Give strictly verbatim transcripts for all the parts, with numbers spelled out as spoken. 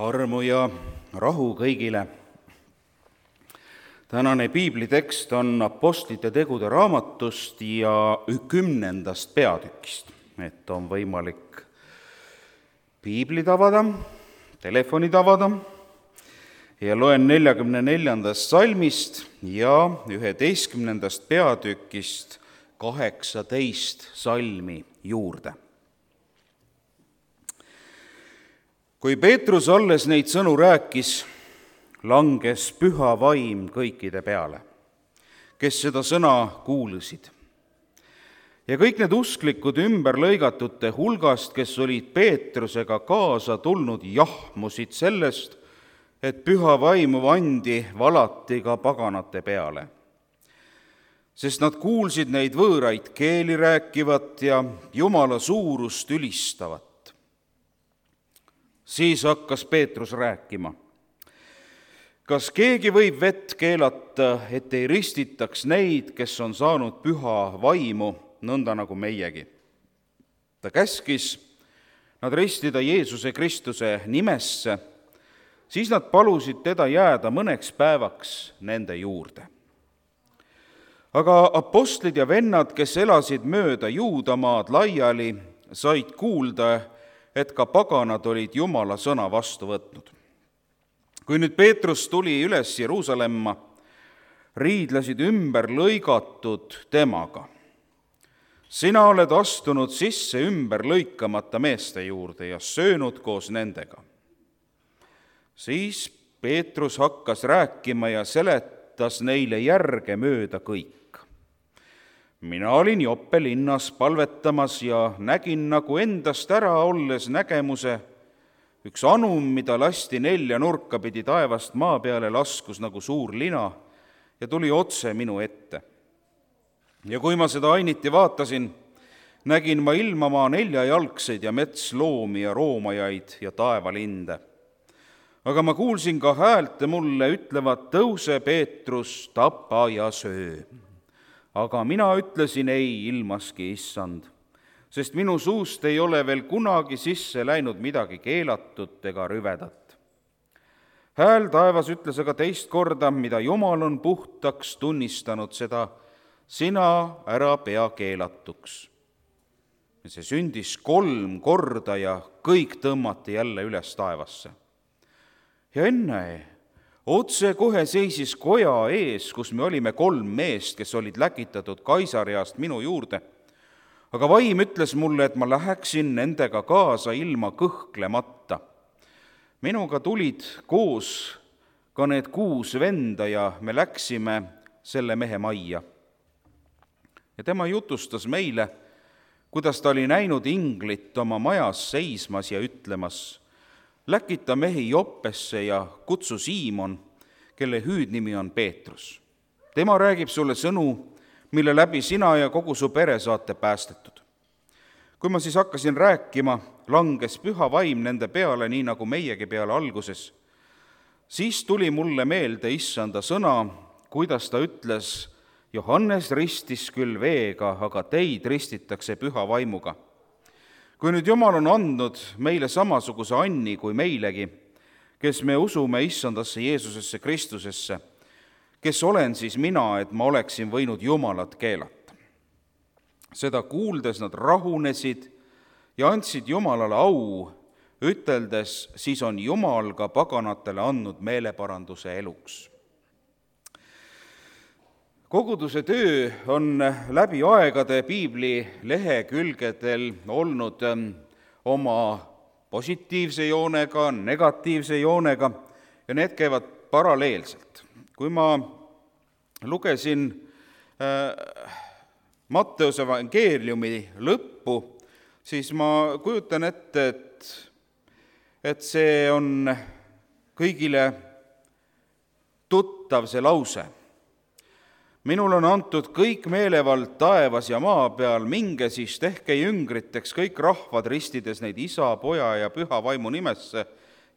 Armu ja rahu kõigile. Tänane piiblitekst on Apostlite tegude raamatust ja kümnendast peatükist, et on võimalik piiblid avada, telefonid avada ja loen neljakümne neljandast salmist ja üheteistkümnendast peatükist kaheksateist salmi juurde. Kui Peetrus alles neid sõnu rääkis, langes püha vaim kõikide peale, kes seda sõna kuulasid. Ja kõik need usklikud ümberlõigatute hulgast, kes olid Peetrusega kaasa tulnud, jahmusid sellest, et püha vaimu andi valati ka paganate peale. Sest nad kuulsid neid võõraid keeli rääkivat ja Jumala suurust ülistavat. Siis hakkas Peetrus rääkima. Kas keegi võib vett keelata, et ei ristitaks neid, kes on saanud püha vaimu, nõnda nagu meiegi? Ta käskis nad ristida Jeesuse Kristuse nimesse, siis nad palusid teda jääda mõneks päevaks nende juurde. Aga apostlid ja vennad, kes elasid mööda Juudamaad laiali, said kuulda, et ka paganad olid Jumala sõna vastu võtnud. Kui nüüd Peetrus tuli üles Jeruusalemma, riidlesid ümber lõigatud temaga. Sina oled astunud sisse ümber lõikamata meeste juurde ja söönud koos nendega. Siis Peetrus hakkas rääkima ja seletas neile järge mööda kõik. Mina olin Joppe linnas palvetamas ja nägin nagu endast ära olles nägemuse. Üks anum, mida lasti nelja nurka pidi taevast maa peale, laskus nagu suur lina ja tuli otse minu ette. Ja kui ma seda ainiti vaatasin, nägin ma ilmamaa neljajalgseid ja metsloomi ja roomajaid ja taevalinde. Aga ma kuulsin ka häälte mulle ütlevat, tõuse Peetrus, tapa ja söö. Aga mina ütlesin ei ilmaski, issand, sest minu suust ei ole veel kunagi sisse läinud midagi keelatut ega rüvedat. Hääl taevas ütles aga teist korda, mida Jumal on puhtaks tunnistanud, seda sina ära pea keelatuks. Ja see sündis kolm korda ja kõik tõmmati jälle üles taevasse. Ja enne otse kohe seisis koja ees, kus me olime kolm meest, kes olid läkitatud Kaisariast minu juurde. Aga vaim ütles mulle, et ma läheksin nendega kaasa ilma kõhklemata. Minuga tulid koos ka need kuus venda ja me läksime selle mehe majja. Ja tema jutustas meile, kuidas ta oli näinud inglit oma majas seismas ja ütlemas, läkita mehi Joppesse ja kutsu Siimon, kelle hüüdnimi on Peetrus. Tema räägib sulle sõnu, mille läbi sina ja kogu su pere saate päästetud. Kui ma siis hakkasin rääkima, langes püha vaim nende peale, nii nagu meiegi peale alguses. Siis tuli mulle meelde issanda sõna, kuidas ta ütles, Johannes ristis küll veega, aga teid ristitakse püha vaimuga. Kui nüüd Jumal on andnud meile samasuguse anni kui meilegi, kes me usume issandasse Jeesusesse Kristusesse, kes olen siis mina, et ma oleksin võinud Jumalat keelata. Seda kuuldes nad rahunesid ja andsid Jumalale au, üteldes, siis on Jumal ka paganatele andnud meeleparanduse eluks. Koguduse töö on läbi aegade piibli lehekülgedel olnud oma positiivse joonega, negatiivse joonega ja need käivad paralleelselt. Kui ma lugesin äh, Matteuse evangeeliumi lõppu, siis ma kujutan ette, et, et see on kõigile tuttav see lause. Minul on antud kõik meelevald taevas ja maa peal, minge siis tehke jüngriteks kõik rahvad, ristides neid isa, poja ja püha vaimu nimesse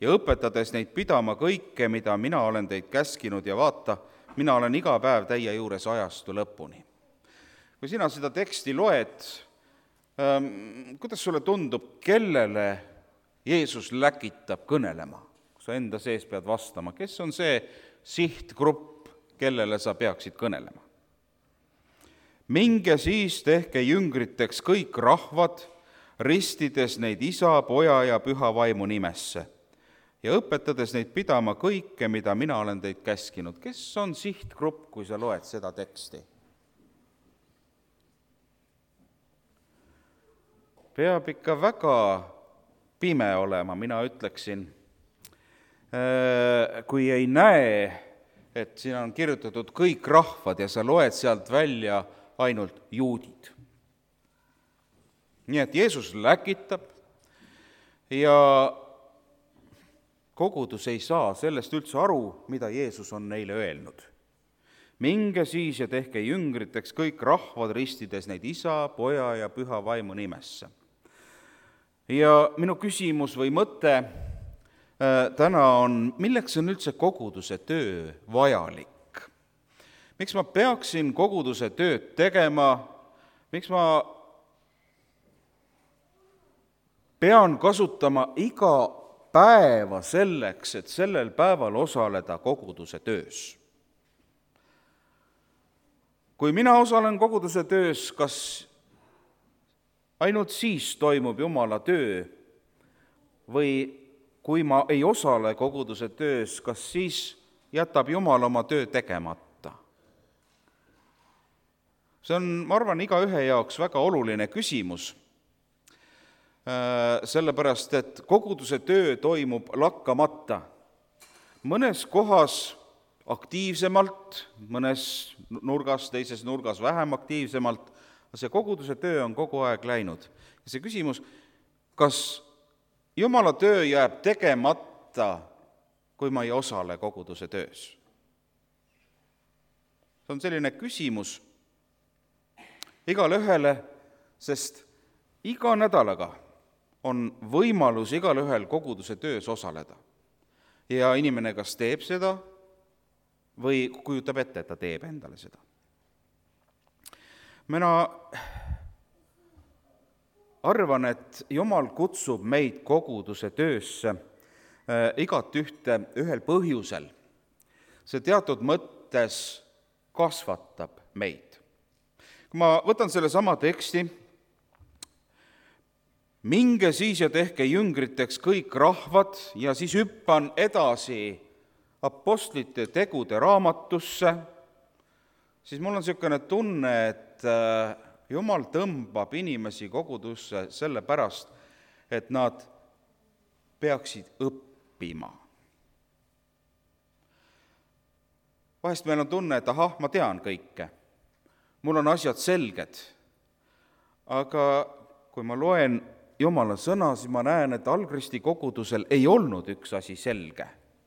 ja õpetades neid pidama kõike, mida mina olen teid käskinud ja vaata, mina olen iga päev teie juures ajastu lõpuni. Kui sina seda teksti loed, ähm, kuidas sulle tundub, kellele Jeesus läkitab kõnelema? sa enda sees pead vastama, kes on see sihtgrupp, kellele sa peaksid kõnelema. Minge siis tehke jüngriteks kõik rahvad, ristides neid Isa, Poja ja Püha Vaimu nimesse ja õpetades neid pidama kõike, mida mina olen teid käskinud. Kes on sihtgrupp, kui sa loed seda teksti? Peab ikka väga pime olema, mina ütleksin, kui ei näe, et siin on kirjutatud kõik rahvad ja sa loed sealt välja ainult juudid. Nii et Jeesus läkitab ja kogudus ei saa sellest üldse aru, mida Jeesus on neile öelnud. Minge siis ja tehke jüngriteks kõik rahvad, ristides neid Isa, Poja ja Püha Vaimu nimesse. Ja minu küsimus või mõte täna on, milleks on üldse koguduse töö vajalik? Miks ma peaksin koguduse tööd tegema? Miks ma pean kasutama iga päeva selleks, et sellel päeval osaleda koguduse töös? Kui mina osalen koguduse töös, kas ainult siis toimub Jumala töö või kui ma ei osale koguduse töös, kas siis jätab Jumal oma töö tegemata? See on, ma arvan, igaühe jaoks väga oluline küsimus, sellepärast, et koguduse töö toimub lakkamata. Mõnes kohas aktiivsemalt, mõnes nurgas, teises nurgas vähem aktiivsemalt, see koguduse töö on kogu aeg läinud. Ja see küsimus, kas Jumala töö jääb tegemata, kui ma ei osale koguduse töös? See on selline küsimus igale ühele, sest iga nädalaga on võimalus igal ühel koguduse töös osaleda. Ja inimene kas teeb seda või kujutab ette, et ta teeb endale seda. Mina arvan, et Jumal kutsub meid koguduse töösse igat ühte ühel põhjusel. See teatud mõttes kasvatab meid. Kui ma võtan selle sama teksti, minge siis ja tehke jüngriteks kõik rahvad ja siis hüppan edasi apostlite tegude raamatusse, siis mul on niisugune tunne, et Jumal tõmbab inimesi kogudusse sellepärast, et nad peaksid õppima. Vahest meil on tunne, et ahah, ma tean kõike, mul on asjad selged, aga kui ma loen Jumala sõna, siis ma näen, et algristi kogudusel ei olnud üks asi selge.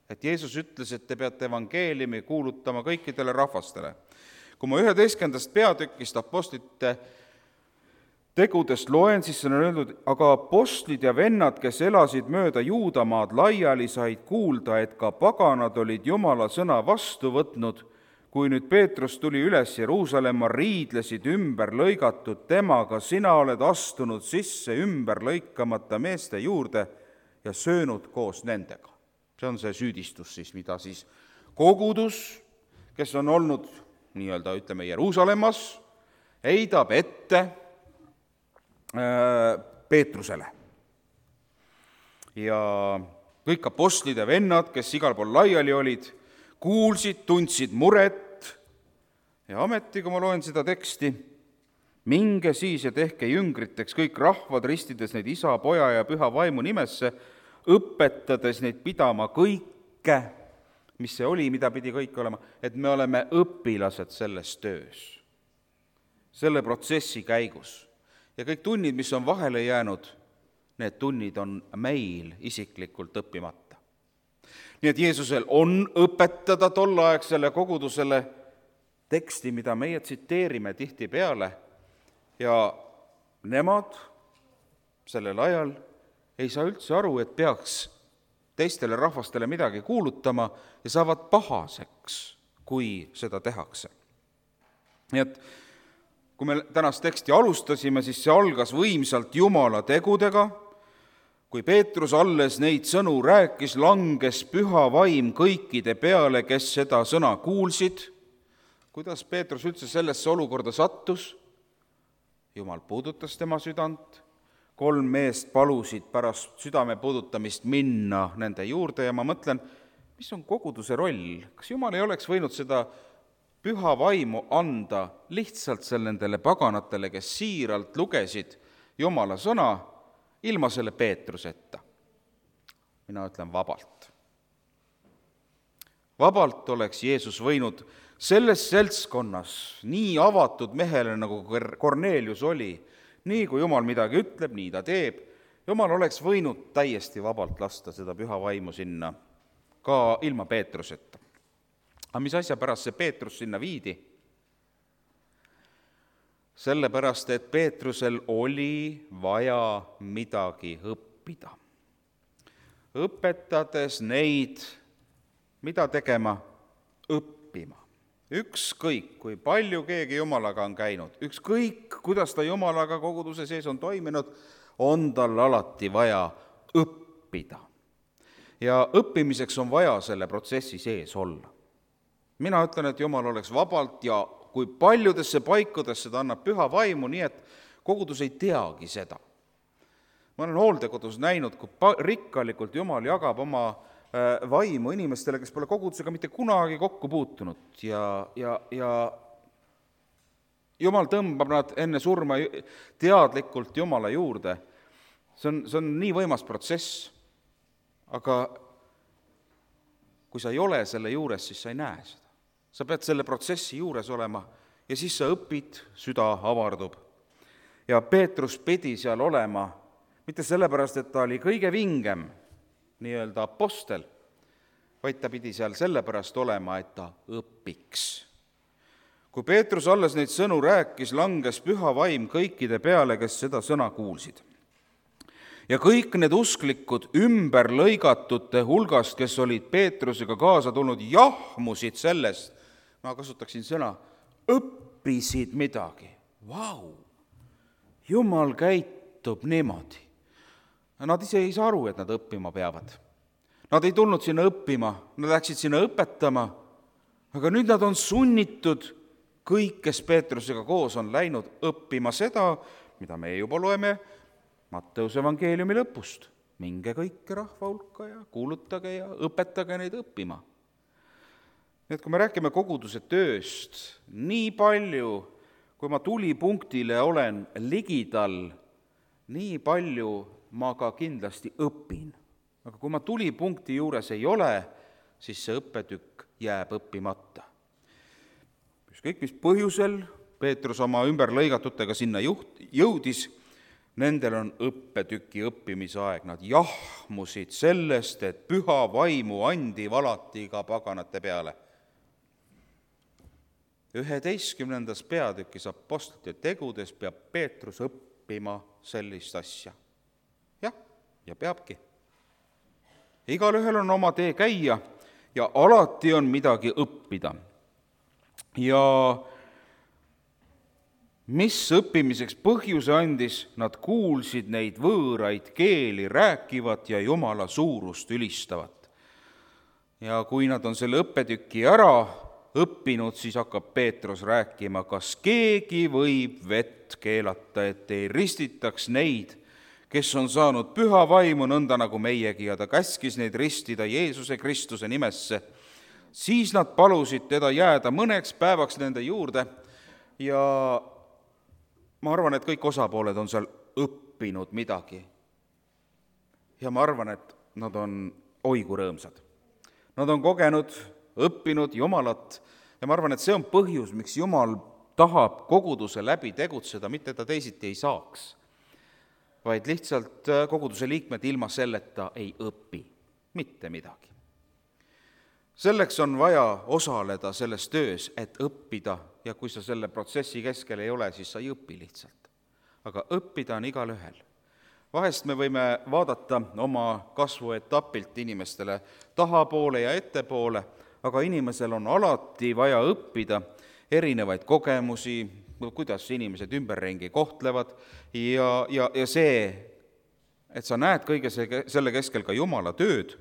Et Jeesus ütles, et te peate evangeeliumi kuulutama kõikidele rahvastele. Kui ma üheteistkümnendast peatükist apostlite tegudest loen, siis on öeldud, aga apostlid ja vennad, kes elasid mööda Juudamaad laiali, said kuulda, et ka paganad olid Jumala sõna vastu võtnud. Kui nüüd Peetrus tuli üles Jeruusalemma, riidlesid ümber lõigatud temaga, sina oled astunud sisse ümber lõikamata meeste juurde ja söönud koos nendega. See on see süüdistus siis, mida siis kogudus, kes on olnud nii-öelda, ütleme, Jeruusalemmas, heidab ette Peetrusele. Ja kõik apostlid ja vennad, kes igal pool laiali olid, kuulsid, tundsid muret ja ameti, kui ma loen seda teksti, minge siis ja tehke jüngriteks kõik rahvad, ristides neid Isa, Poja ja Püha Vaimu nimesse, õpetades neid pidama kõike, mis see oli, mida pidi kõik olema, et me oleme õpilased selles töös, selle protsessi käigus. Ja kõik tunnid, mis on vahele jäänud, need tunnid on meil isiklikult õppimata. Nii et Jeesusel on õpetada tolleaegsele kogudusele teksti, mida meie tsiteerime tihtipeale, ja nemad sellel ajal ei saa üldse aru, et peaks teistele rahvastele midagi kuulutama ja saavad pahaseks, kui seda tehakse. Nii et kui me tänast teksti alustasime, siis see algas võimsalt Jumala tegudega, kui Peetrus alles neid sõnu rääkis, langes püha vaim kõikide peale, kes seda sõna kuulsid. Kuidas Peetrus üldse sellesse olukorda sattus? Jumal puudutas tema südant, kolm meest palusid pärast südame puudutamist minna nende juurde ja ma mõtlen, mis on koguduse roll? Kas Jumal ei oleks võinud seda püha vaimu anda lihtsalt seal nendele paganatele, kes siiralt lugesid Jumala sõna, ilma selle Peetruseta? Mina ütlen vabalt. Vabalt oleks Jeesus võinud selles seltskonnas, nii avatud mehele, nagu Kornelius oli, nii kui Jumal midagi ütleb, nii ta teeb, Jumal oleks võinud täiesti vabalt lasta seda püha vaimu sinna, ka ilma Peetruseta. Aga mis asja pärast see Peetrus sinna viidi? Sellepärast, et Peetrusel oli vaja midagi õppida. Õpetades neid, mida tegema? Õppima. Ükskõik, kui palju keegi Jumalaga on käinud, ükskõik, kuidas ta Jumalaga koguduse sees on toiminud, on tal alati vaja õppida. Ja õppimiseks on vaja selle protsessi sees olla. Mina ütlen, et Jumal oleks vabalt ja kui paljudesse paikudesse ta annab püha vaimu, nii et kogudus ei teagi seda. Ma olen hooldekodus näinud, kui rikkalikult Jumal jagab oma vaimu inimestele, kes pole kogudusega mitte kunagi kokku puutunud ja, ja, ja Jumal tõmbab nad enne surma teadlikult Jumala juurde. See on, see on nii võimas protsess, aga kui sa ei ole selle juures, siis sa ei näe seda. Sa pead selle protsessi juures olema ja siis sa õpid, süda avardub. Ja Peetrus pidi seal olema, mitte sellepärast, et ta oli kõige vingem nii-öelda apostel, vaid ta pidi seal sellepärast olema, et ta õpiks. Kui Peetrus alles neid sõnu rääkis, langes püha vaim kõikide peale, kes seda sõna kuulsid. Ja kõik need usklikud ümber lõigatute hulgast, kes olid Peetrusega kaasa tulnud, jahmusid sellest, ma kasutaksin sõna, õppisid midagi. Vau! Jumal käitub niimoodi. Nad ise ei saa aru, et nad õppima peavad. Nad ei tulnud sinna õppima, nad läksid sinna õpetama, aga nüüd nad on sunnitud, kõik, kes Peetrusega koos on läinud õppima seda, mida me juba loeme Matteuse evangeeliumi lõpust. Minge kõike rahva hulka ja kuulutage ja õpetage neid õppima. Nii et kui me räägime koguduse tööst, nii palju, kui ma tulipunktile olen ligidal, nii palju ma ka kindlasti õpin. Aga kui ma tulipunkti juures ei ole, siis see õppetükk jääb õppimata. Ükskõik mis põhjusel Peetrus oma ümberlõigatutega sinna juht, jõudis, nendel on õppetüki õppimise aeg. Nad jahmusid sellest, et püha vaimu andi valati ka paganate peale. üheteistkümnendas peatükis apostlite tegudes peab Peetrus õppima sellist asja. Jah, ja peabki. Igal ühel on oma tee käia ja alati on midagi õppida. Ja mis õppimiseks põhjuse andis, nad kuulsid neid võõraid keeli rääkivat ja Jumala suurust ülistavat. Ja kui nad on selle õppetüki ära õppinud, siis hakkab Peetrus rääkima, kas keegi võib vett keelata, et ei ristitaks neid, kes on saanud püha vaimu nõnda nagu meiegi, ja ta käskis neid ristida Jeesuse Kristuse nimesse. Siis nad palusid teda jääda mõneks päevaks nende juurde ja ma arvan, et kõik osapooled on seal õppinud midagi. Ja ma arvan, et nad on oigu rõõmsad. Nad on kogenud, õppinud Jumalat ja ma arvan, et see on põhjus, miks Jumal tahab koguduse läbi tegutseda, mitte ta teisiti ei saaks, vaid lihtsalt koguduse liikmed ilma selleta ei õpi mitte midagi. Selleks on vaja osaleda selles töös, et õppida ja kui sa selle protsessi keskel ei ole, siis sa ei õpi lihtsalt. Aga õppida on igal ühel. Vahest me võime vaadata oma kasvuetapilt inimestele tahapoole ja ettepoole, aga inimesel on alati vaja õppida erinevaid kogemusi, kuidas inimesed ümberringi kohtlevad ja, ja, ja see et sa näed kõige selle keskel ka Jumala tööd,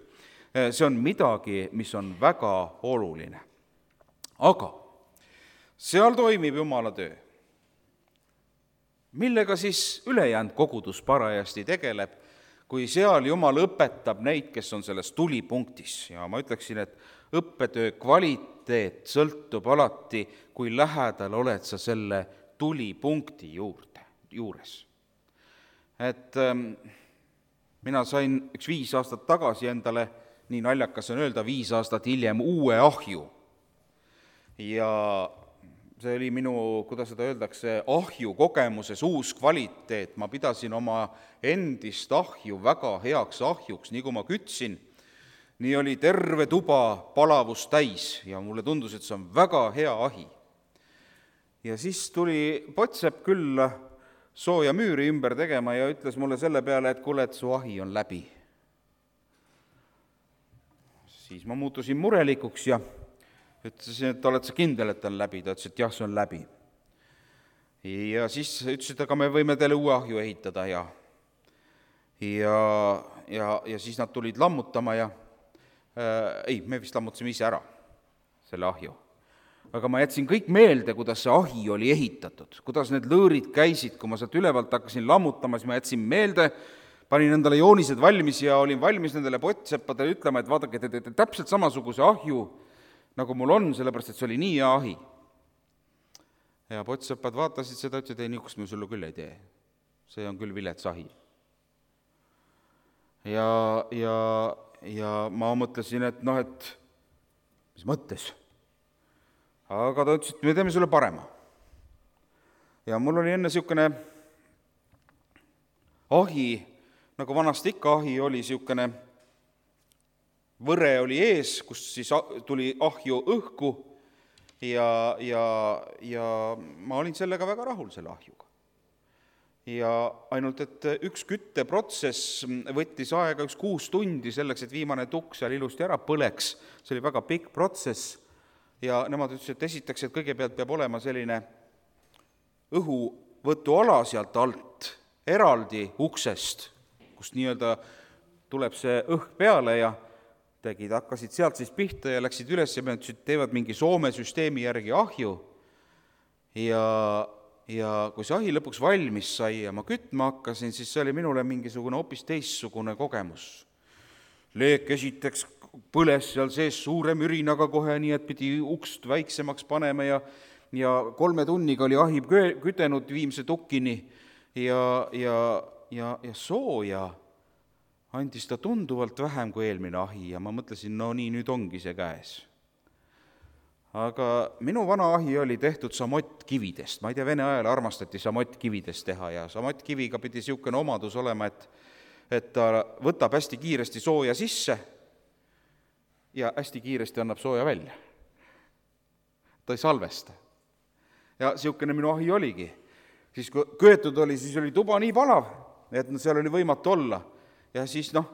see on midagi, mis on väga oluline. Aga seal toimib Jumala töö. Millega siis ülejäänud kogudus parajasti tegeleb, kui seal Jumal õpetab neid, kes on selles tulipunktis. Ja ma ütleksin, et õppetöö kvaliteet sõltub alati, kui lähedal oled sa selle tulipunkti juurde, juures. Et ähm, mina sain üks viis aastat tagasi endale, nii naljakas on öelda, viis aastat hiljem uue ahju. Ja see oli minu, kuidas seda öeldakse, ahju kogemuses uus kvaliteet. Ma pidasin oma endist ahju väga heaks ahjuks, nii kui ma kütsin, nii oli terve tuba palavus täis ja mulle tundus, et see on väga hea ahi. Ja siis tuli Potsepp küll sooja müüri ümber tegema ja ütles mulle selle peale, et kuule, et su ahi on läbi. Siis ma muutusin murelikuks ja ütlesin, et oled sa kindel, et on läbi? Ta ütles, et jah, see on läbi. Ja siis ütles, et aga me võime teile uue ahju ehitada ja, ja, ja, ja siis nad tulid lammutama ja äh, ei, me vist lammutasime ise ära selle ahju. Aga ma jätsin kõik meelde, kuidas see ahi oli ehitatud, kuidas need lõõrid käisid, kui ma sealt ülevalt hakkasin lammutama, siis ma jätsin meelde, panin endale joonised valmis ja olin valmis nendele pottseppadele ütlema, et vaadake, te teete täpselt samasuguse ahju, nagu mul on, sellepärast, et see oli nii hea ahi. Ja pottseppad vaatasid seda, ütlesid, ei, niisugust me sulle küll ei tee. See on küll vilets ahi. Ja, ja, ja ma mõtlesin, et noh, et mis mõttes? Aga ta ütles, et me teeme sulle parema. Ja mul oli enne niisugune ahi, nagu vanasti ikka ahi oli niisugune võre oli ees, kus siis tuli ahju õhku ja, ja, ja ma olin sellega väga rahul selle ahjuga. Ja ainult, et üks kütteprotsess võttis aega üks kuus tundi selleks, et viimane tukk seal ilusti ära põleks. See oli väga pikk protsess. Ja nemad ütlesid, et esiteks, et kõigepealt peab olema selline õhuvõtuala sealt alt, eraldi uksest, kust nii-öelda tuleb see õhk peale ja tegid, hakkasid sealt siis pihta ja läksid üles ja me ütlesid, teevad mingi Soome süsteemi järgi ahju. Ja, ja kui see ahi lõpuks valmis sai ja ma kütma hakkasin, siis see oli minule mingisugune hoopis teistsugune kogemus. Leek esiteks põles seal sees suure mürinaga kohe, nii et pidi ukst väiksemaks panema ja, ja kolme tunniga oli ahi kütenud viimse tukkini ja, ja, ja, ja sooja andis ta tunduvalt vähem kui eelmine ahi ja ma mõtlesin, no nii, nüüd ongi see käes. Aga minu vana ahi oli tehtud samottkividest, ma ei tea, Vene ajal armastati samottkividest teha ja samottkiviga pidi niisugune omadus olema, et, et ta võtab hästi kiiresti sooja sisse ja hästi kiiresti annab sooja välja. Ta ei salvesta. Ja niisugune minu ahi oligi. Siis kui köetud oli, siis oli tuba nii palav, et seal oli võimatu olla. Ja siis noh,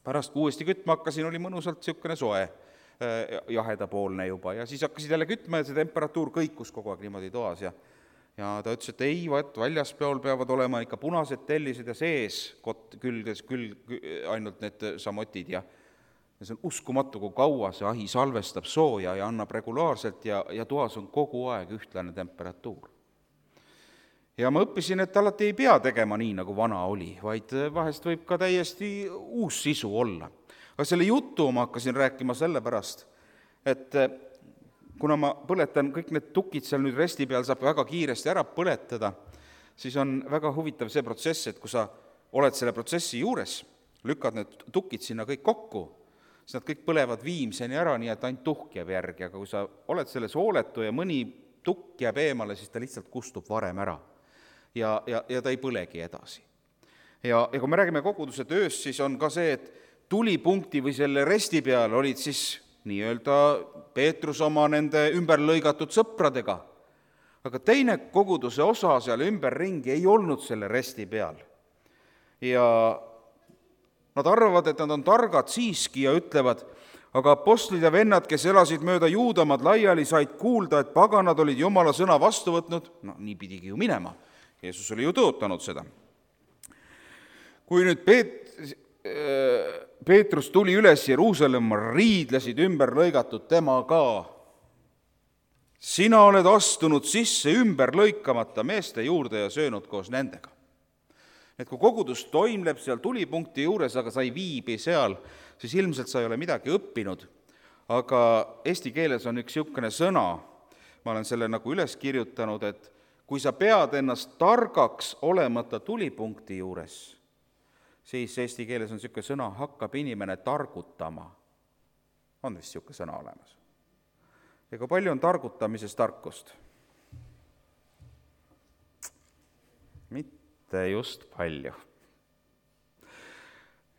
pärast kui uuesti kütma hakkasin, oli mõnusalt niisugune soe, jahedapoolne juba. Ja siis hakkasid jälle kütma ja see temperatuur kõikus kogu aeg niimoodi toas. Ja, ja ta ütles, et ei, vaat väljaspeol peavad olema ikka punased tellised ja sees kot, külges küll ainult need samotid ja Ja see on uskumatu, kui kaua see ahi salvestab sooja ja annab regulaarselt ja, ja toas on kogu aeg ühtlane temperatuur. Ja ma õppisin, et alati ei pea tegema nii, nagu vana oli, vaid vahest võib ka täiesti uus sisu olla. Aga selle jutu ma hakkasin rääkima sellepärast, et kuna ma põletan kõik need tukid seal nüüd resti peal, saab väga kiiresti ära põletada, siis on väga huvitav see protsess, et kui sa oled selle protsessi juures, lükkad need tukid sinna kõik kokku, siis nad kõik põlevad viimseni ära, nii et ainult tuhk jääb järgi, aga kui sa oled selles hooletu ja mõni tukk jääb eemale, siis ta lihtsalt kustub varem ära ja, ja, ja ta ei põlegi edasi. Ja, ja kui me räägime koguduse tööst, siis on ka see, et tulipunkti või selle resti peal olid siis nii-öelda Peetrus oma nende ümberlõigatud sõpradega, aga teine koguduse osa seal ümberringi ei olnud selle resti peal. Ja nad arvavad, et nad on targad siiski ja ütlevad, aga apostlid ja vennad, kes elasid mööda Juudamaad laiali, said kuulda, et paganad olid Jumala sõna vastu võtnud. No nii pidigi ju minema. Jeesus oli ju tõotanud seda. kui nüüd Peet-, Peetrus tuli üles Jeruusalemma, riidlesid ümber lõigatud tema ka. Sina oled astunud sisse ümber lõikamata meeste juurde ja söönud koos nendega. Et kui kogudus toimleb seal tulipunkti juures, aga sa ei viibi seal, siis ilmselt sa ei ole midagi õppinud. Aga eesti keeles on üks niisugune sõna, ma olen selle nagu üles kirjutanud, et kui sa pead ennast targaks olemata tulipunkti juures, siis eesti keeles on niisugune sõna, hakkab inimene targutama. On vist niisugune sõna olemas. Ja kui palju on targutamises tarkust? Mitte just palju.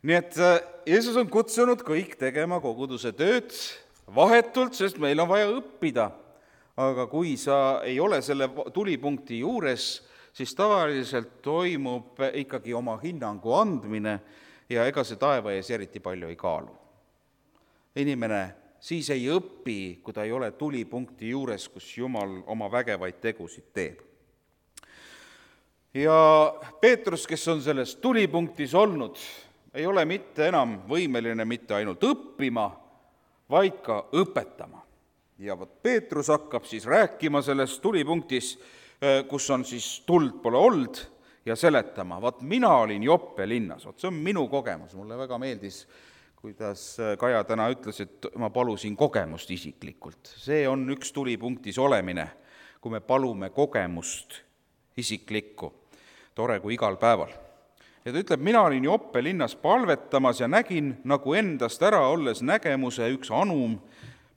Nii et Jeesus on kutsunud kõik tegema koguduse tööd vahetult, sest meil on vaja õppida. Aga kui sa ei ole selle tulipunkti juures, siis tavaliselt toimub ikkagi oma hinnangu andmine ja ega see taeva ees eriti palju ei kaalu. Inimene siis ei õpi, kui ta ei ole tulipunkti juures, kus Jumal oma vägevaid tegusid teeb. Ja Peetrus, kes on selles tulipunktis olnud, ei ole mitte enam võimeline mitte ainult õppima, vaid ka õpetama. Ja võt Peetrus hakkab siis rääkima selles tulipunktis, kus on siis tuld pole olnud, ja seletama. Vaat mina olin Joppe linnas, vaat see on minu kogemus, mulle väga meeldis, kuidas Kaja täna ütles, et ma palusin kogemust isiklikult. See on üks tulipunktis olemine, kui me palume kogemust isiklikku, tore kui igal päeval. Ja ta ütleb, mina olin Joppe linnas palvetamas ja nägin nagu endast ära olles nägemuse üks anum,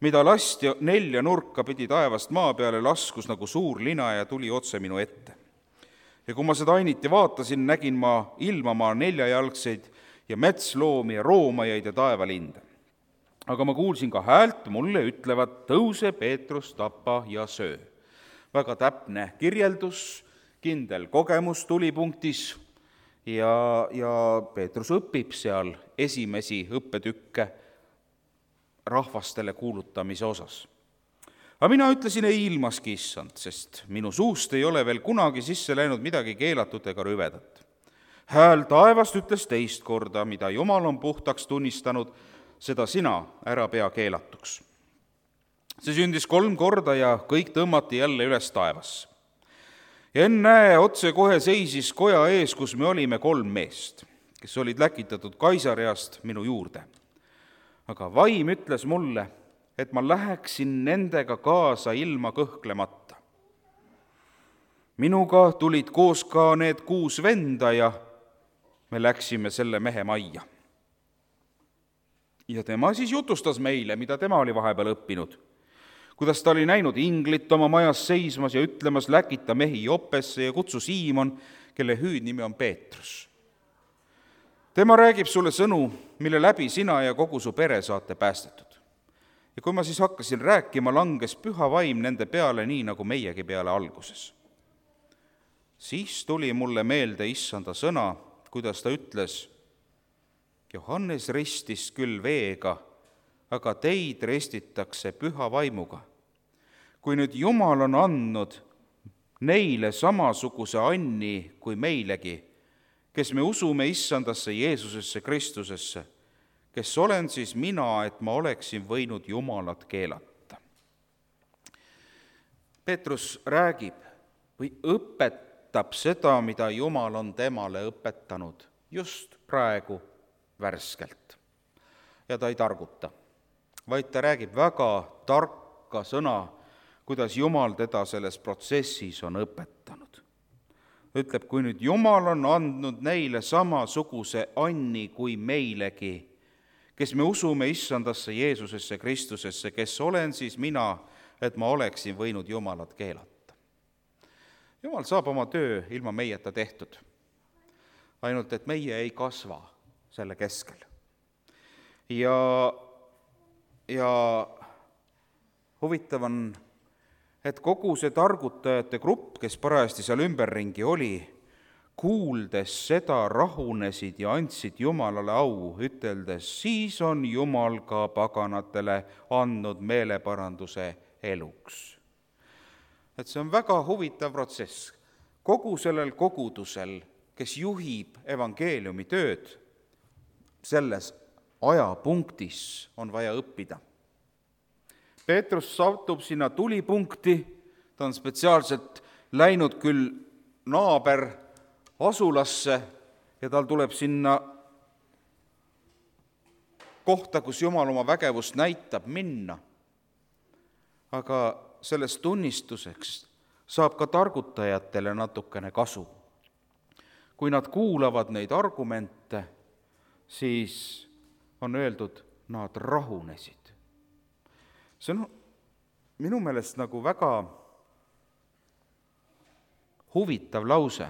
mida lasti nelja nurka pidi taevast maa peale, laskus nagu suur lina ja tuli otse minu ette. Ja kui ma seda ainiti vaatasin, nägin ma ilmamaa neljajalgseid ja metsloomi ja roomajaid ja taevalinde. Aga ma kuulsin ka häält, mulle ütlevad, tõuse Peetrus, tapa ja söö. Väga täpne kirjeldus, kindel kogemus tulipunktis ja, ja Peetrus õpib seal esimesi õppetükke rahvastele kuulutamise osas. Aga mina ütlesin ei ilmaski, issand, sest minu suust ei ole veel kunagi sisse läinud midagi keelatud ega rüvedat. Hääl taevast ütles teist korda, mida Jumal on puhtaks tunnistanud, seda sina ära pea keelatuks. See sündis kolm korda ja kõik tõmmati jälle üles taevasse. Ja ennäe, otse kohe seisis koja ees, kus me olime kolm meest, kes olid läkitatud Kaisareast minu juurde. Aga vaim ütles mulle, et ma läheksin nendega kaasa ilma kõhklemata. Minuga tulid koos ka need kuus venda ja me läksime selle mehe majja. Ja tema siis jutustas meile, mida tema oli vahepeal õppinud, kuidas ta oli näinud inglit oma majas seismas ja ütlemas, läkita mehi Joppesse ja kutsu Siimon, kelle hüüdnimi on Peetrus. Tema räägib sulle sõnu, mille läbi sina ja kogu su pere saate päästetud. Ja kui ma siis hakkasin rääkima, langes püha vaim nende peale nii, nagu meiegi peale alguses. Siis tuli mulle meelde issanda sõna, kuidas ta ütles, Johannes ristis küll veega, aga teid ristitakse püha vaimuga. Kui nüüd Jumal on andnud neile samasuguse anni kui meilegi, kes me usume issandasse Jeesusesse Kristusesse, kes olen siis mina, et ma oleksin võinud Jumalat keelata. Peetrus räägib või õpetab seda, mida Jumal on temale õpetanud just praegu värskelt. Ja ta ei targuta, vaid ta räägib väga tarka sõna, kuidas Jumal teda selles protsessis on õpetanud. Ütleb, kui nüüd Jumal on andnud neile samasuguse anni kui meilegi, kes me usume issandasse Jeesusesse Kristusesse, kes olen siis mina, et ma oleksin võinud Jumalat keelata. Jumal saab oma töö ilma meieta tehtud, ainult et meie ei kasva selle keskel. Ja, ja huvitav on, et kogu see targutajate grupp, kes parajasti seal ümberringi oli, kuuldes seda rahunesid ja andsid Jumalale au, üteldes, siis on Jumal ka paganatele andnud meeleparanduse eluks. Et see on väga huvitav protsess. Kogu sellel kogudusel, kes juhib evangeeliumi tööd, selles ajapunktis on vaja õppida. Peetrus satub sinna tulipunkti, ta on spetsiaalselt läinud küll naaber asulasse ja tal tuleb sinna kohta, kus Jumal oma vägevust näitab, minna. Aga sellest tunnistuseks saab ka targutajatele natukene kasu. Kui nad kuulavad neid argumente, siis on öeldud, nad rahunesid. See on minu meelest nagu väga huvitav lause,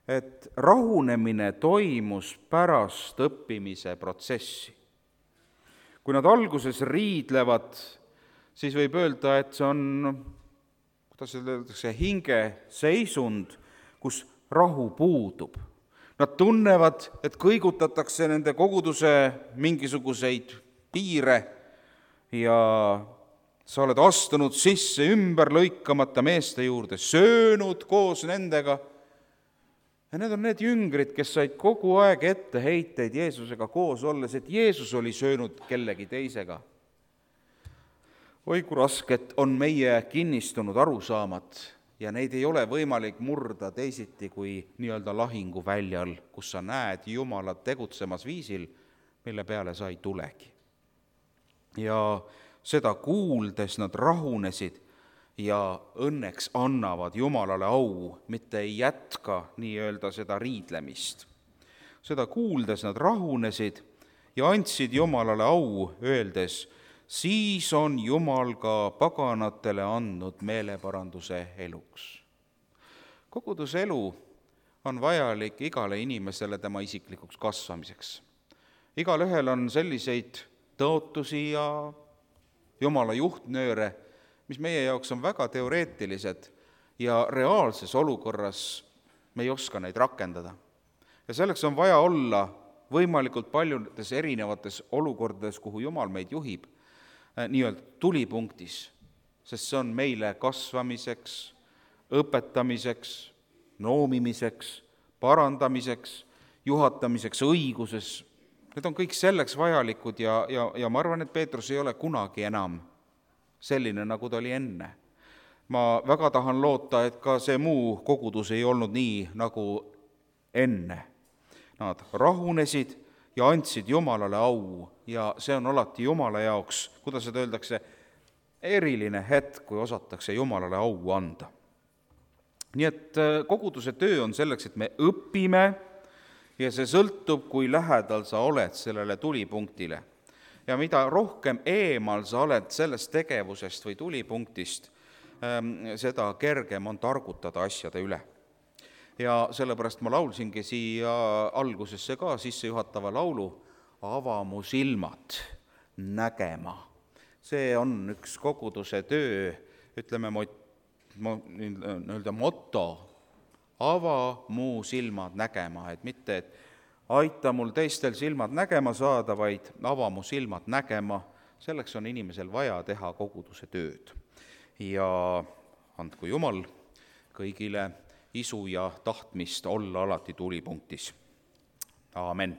et rahunemine toimus pärast õppimise protsessi. Kui nad alguses riidlevad, siis võib öelda, et see on, kuidas öeldakse, hinge seisund, kus rahu puudub. Nad tunnevad, et kõigutatakse nende koguduse mingisuguseid piire ja sa oled astunud sisse ümber lõikamata meeste juurde, söönud koos nendega. Ja need on need jüngrid, kes said kogu aeg ette heiteid Jeesusega koos olles, et Jeesus oli söönud kellegi teisega. Oi, kui rasket on meie kinnistunud arusaamad ja neid ei ole võimalik murda teisiti kui nii-öelda lahinguväljal, kus sa näed Jumalat tegutsemas viisil, mille peale sa ei tulegi. Ja seda kuuldes nad rahunesid ja õnneks annavad Jumalale au, mitte ei jätka nii-öelda seda riidlemist. Seda kuuldes nad rahunesid ja andsid Jumalale au, öeldes, siis on Jumal ka paganatele andnud meeleparanduse eluks. Koguduse elu on vajalik igale inimesele tema isiklikuks kasvamiseks. Igal ühel on selliseid tõotusi ja Jumala juhtnööre, mis meie jaoks on väga teoreetilised ja reaalses olukorras me ei oska neid rakendada. Ja selleks on vaja olla võimalikult paljudes erinevates olukordades, kuhu Jumal meid juhib, nii-öelda tulipunktis, sest see on meile kasvamiseks, õpetamiseks, noomimiseks, parandamiseks, juhatamiseks õiguses. Need on kõik selleks vajalikud ja, ja, ja ma arvan, et Peetrus ei ole kunagi enam selline, nagu ta oli enne. Ma väga tahan loota, et ka see muu kogudus ei olnud nii, nagu enne. Nad rahunesid ja andsid Jumalale au ja see on alati Jumala jaoks, kuidas seda öeldakse, eriline hetk, kui osatakse Jumalale au anda. Nii et koguduse töö on selleks, et me õpime ja see sõltub, kui lähedal sa oled sellele tulipunktile. Ja mida rohkem eemal sa oled sellest tegevusest või tulipunktist, seda kergem on targutada asjade üle. Ja sellepärast ma laulsingi siia algusesse ka sissejuhatava laulu Ava mu silmad nägema. See on üks koguduse töö, ütleme mo, mo, nii-öelda motto, ava mu silmad nägema, et mitte, et aita mul teistel silmad nägema saada, vaid ava mu silmad nägema, selleks on inimesel vaja teha koguduse tööd. Ja andku Jumal kõigile isu ja tahtmist olla alati tulipunktis. Aamen.